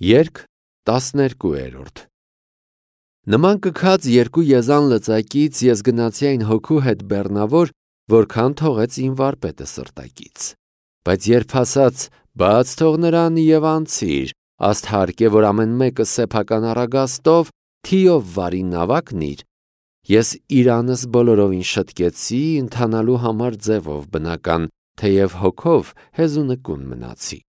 Երգ 12-րդ Նման կքած երկու եզան լծակից ես գնացի այն հոգու հետ բեռնավոր, որքան թողեց իմ վարպետը սրտակից։ Բայց երբ ասաց, բաց թող նրան և անցիր, ասթարկ է, որ ամեն մեկը սեփական առագաստով, թիով վարի նավակնիր, ես իրանս բոլորովին շտկեցի ընթանալու համար ձևով բնական, թեև հոգով հեզունկուն մնացի։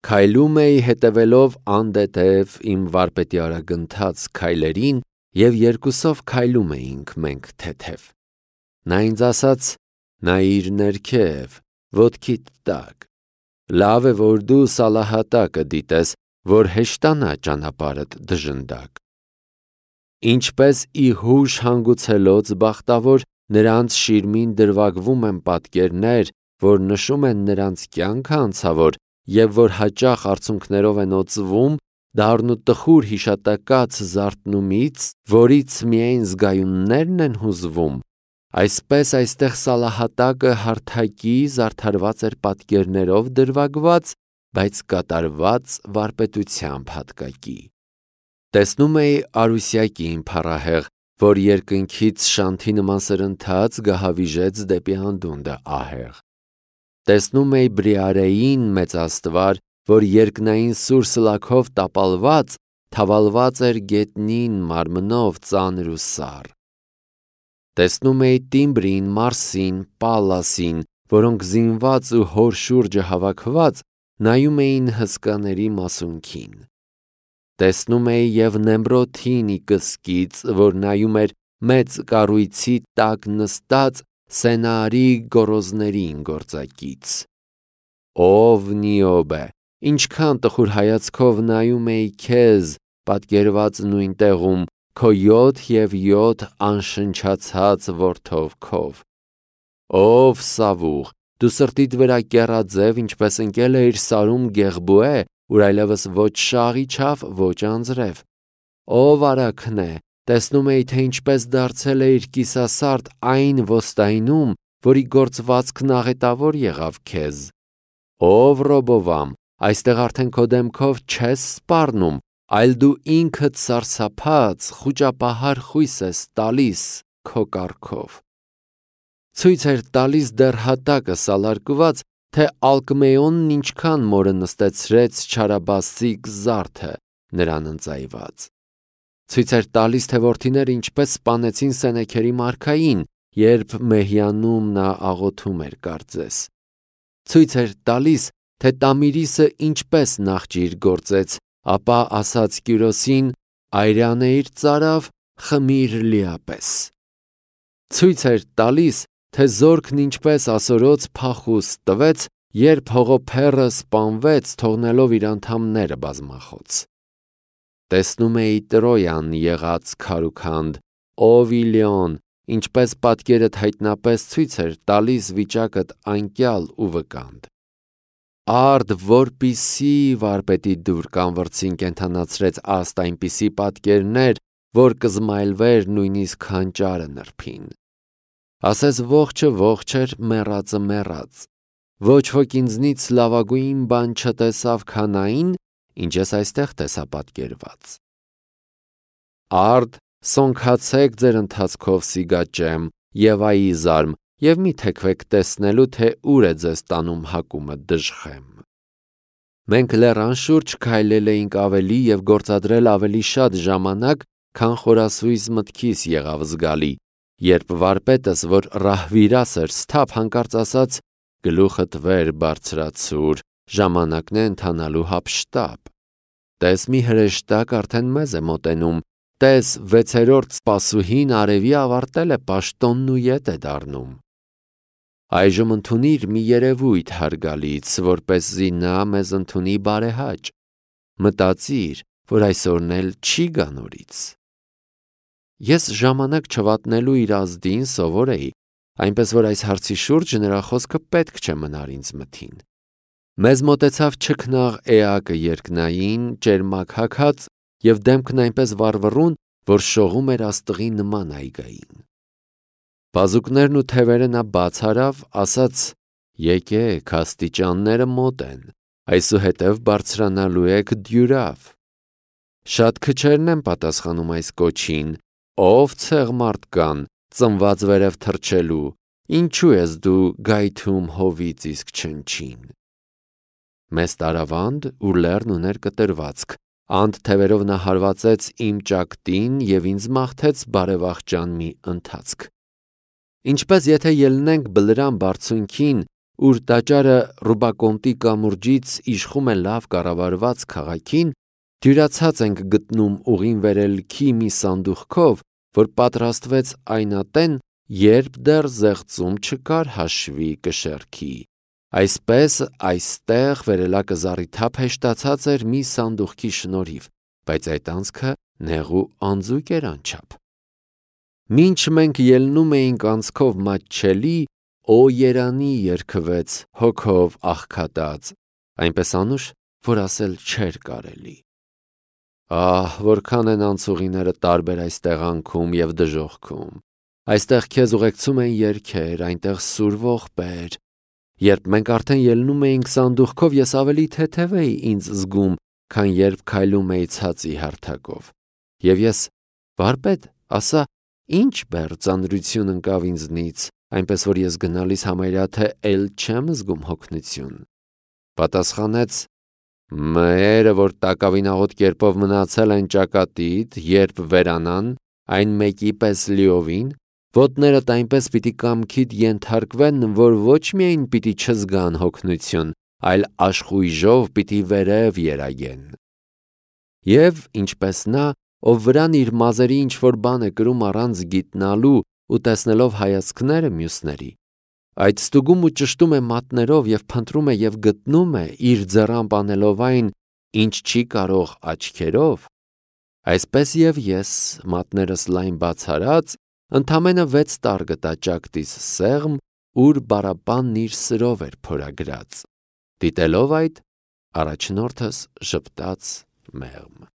Քայլում էի հետևելով անդետև իմ վարպետի արագընթաց քայլերին և երկուսով քայլում էինք մենք թեթև։ Նա ինձ ասաց. նայիր ներքև, ոտքիդ տակ, լավ է, որ դու Սալահատակը դիտես, որ հեշտանա ճանապարհդ դժնդակ։ Ինչպես ի հուշ հանգուցելոց բախտավոր, նրանց շիրմին դրվագվում են պատկերներ, որ նշում են նրանց կյանքը անցավոր, և որ հաճախ արցունքներով են օծվում, դառն ու տխուր հիշատակած զարթնումից, որից միայն զգայուններն են հուզվում, այսպես այստեղ Սալահատակը հարթակի զարդարված էր պատկերներով դրվագված, բայց կատարված վարպետությամբ հատկակի։ Տեսնում էի Արուսյակին փառահեղ, որ երկնքից շանթի նման սրընթաց գահավիժեց դեպի անդունդը ահեղ։ Տեսնում էի Բրիարեին մեծաստվար, որ երկնային սուր սլաքով տապալված, թավալված էր գետնին մարմնով ծանր ու սառ։ Տեսնում էի Տիմբրին, Մարսին, Պալլասին, որոնք զինված ու հոր շուրջը հավաքված նայում էին հսկաների մասունքին։ Տեսնում էի և Նեմրոթին ի կսկից, որ նայում էր մեծ կառույցի տակ նստած Սենաարի գոռոզներին գործակից։ Ով Նիոբե, ինչքան տխուր հայացքով նայում էի քեզ, պատկերված նույն տեղում, քո 7 անշնչացած որդով քով։ Ով Սավուղ, դու սրտիդ վրա կեռաձև, ինչպես ընկել էիր սարում Գեղբուե, ուր այլևս ոչ շաղ իջավ, ոչ անձրև։ Ով Արաքնե, տեսնում էի, թե ինչպես դարձել էիր կիսասարդ այն ոստայնում, որի գործվածքն աղետավոր եղավ քեզ։ Ով Ռոբովամ, այստեղ արդեն քո դեմքով չես սպառնում, այլ դու ինքդ սարսափած, խուճապահար խույս ես տալիս քո կառքով։ Ցույց էր տալիս դեռ հատակը սալարկված, թե Ալկմեոնն ինչքան մորը նստեցրեց չարաբասիկ զարդը նրան ընծայված։ Ցույց էր տալիս, թե որդիները ինչպես սպանեցին Սենեքերի մարքային, երբ Մեհյանում նա աղոթում էր կարծես։ Ցույց էր տալիս, թե Տամիրիսը ինչպես նախջիր գործեց, ապա ասաց Կյուրոսին. «Այրանեիր ծարավ, խմիր լիապես»։ Ցույց էր տալիս, թե զորքն ինչպես ասորոց փախուստ տվեց, երբ հողոփեռը սպանվեց, թողնելով իր անդամները բազմախոց։ Տեսնում էի Տրոյան եղած քարուքանդ, ով Իլիոն, ինչպես պատկերդ հայտնապես ցույց էր տալիս վիճակդ անկյալ ու վկանդ։ Արդ որպիսի վարպետի դուր կանվրցին կենթանացրեց աստ այնպիսի պատկերներ, որ կզմայլվեր նույնիսկ հանճարը նրբին։ Ասես ողջը ողջ էր, մեռածը մեռած։ Ոչ ոք ինձնից լավագույն բան չտեսավ, քան այն, ինչ ես այստեղ տեսա պատկերված։ Արդ սոնքացեք ձեր ընթացքով Սիգաճեմ և Այիզարմ և մի թեքվեք տեսնելու, թե ուր է ձեզ տանում հակումը դժխեմ։ Մենք լեռան շուրջ քայլել էինք ավելի և գործադրել ավելի շատ ժամանակ, քան խորասույզ մտքիս եղավ զգալի, երբ վարպետս, որ ռահվիրաս էր սթափ, հանկարծ ասաց. գլուխդ վեր բարձրացուր, ժամանակն է ընթանալու հափշտապ։ Տես մի հրեշտակ արդեն մեզ է մոտենում, տես 6-րդ սպասուհին արևի ավարտել է պաշտոնն ու ետ է դառնում։ Այժմ ընդունիր մի երևույթ հարգալից, որպեսզի նա մեզ ընդունի բարեհաճ։ Մտածիր, որ այսօրն էլ չի գա նորից։ Ես ժամանակ չվատնելու իր ազդին սովոր էի, այնպես որ այս հարցի շուրջ նրա խոսքը պետք չէ մնար ինձ մտին։ Մեզ մոտեցավ չքնաղ էակը երկնային, ճերմակ հագած և դեմքն այնպես վառվռուն, որ շողում էր աստղի նման այգային։ Բազուկներն ու թևերը նա բաց արավ, ասաց. եկեք, աստիճանները մոտ են, այսուհետև բարձրանալու եք դյուրավ։ Շատ քչերն են պատասխանում այս կոչին, ով ցեղմարդ կան, ծնված վերև թռչելու, ինչու ես դու գայթում հովից իսկ չնչին։ Մեծ տարավանդ ու լեռն ուներ կտրվածք, անդ թևերով նա հարվածեց իմ ճակտին և ինձ մաղթեց բարեվախճան մի ընթացք։ Ինչպես եթե ելնենք Բլրամ բարձունքին, ուր տաճարը Ռուբակոնտի կամուրջից իշխում է լավ կառավարված քաղաքին, դյուրացած ենք գտնում ուղին վերելքի մի սանդուղքով, որ պատրաստվեց այն ատեն, երբ դեռ զեղծում չկար հաշվի կշեռքի։ Այսպես այստեղ վերելակը զառիթափ հեշտացած էր մի սանդուղքի շնորհիվ, բայց այդ անցքը նեղ ու անձուկ էր անչափ։ Մինչ մենք ելնում էինք անցքով մատչելի, «Օ երանի» երգվեց հոգով աղքատած, այնպես անուշ, որ ասել չէր կարելի։ Ահ, որքան են անցուղիները տարբեր այս տեղանքում և դժոխքում։ Այստեղ քեզ ուղեկցում են երգեր, այնտեղ սուր ողբեր։ Երբ մենք արդեն ելնում էինք սանդուղքով, ես ավելի թեթև էի ինձ զգում, քան երբ քայլում էի ցածի հարթակով։ Եվ ես, վարպետ, ասա, ինչ բեռ ծանրություն ընկավ ինձնից, այնպես որ ես գնալիս համարյա թե էլ չեմ զգում հոգնություն։ Պատասխանեց. մերը, որ տակավինաղոտ կերպով մնացել են ճակատիդ, երբ վերանան, այն մեկի պես լիովին, ոտներդ այնպես պիտի կամքիդ ենթարկվեն, որ ոչ միայն պիտի չզգան հոգնություն, այլ աշխույժով պիտի վերև երայեն։ Եվ ինչպես նա, ով վրան իր մազերի ինչ-որ բան է կրում առանց գիտնալու ու տեսնելով հայացքները մյուսների, այդ ստուգում ու ճշտում է մատներով և փնտրում է և գտնում է, իր ձեռամբ անելով այն, ինչ չի կարող աչքերով, այսպես և ես, մատներս լայն բաց արած, ընդամենը 6 տար գտա ճակտիս սեղմ, ուր բառապանն իր սրով էր փորագրած։ Դիտելով այդ, առաջնորդս ժպտաց մեղմ։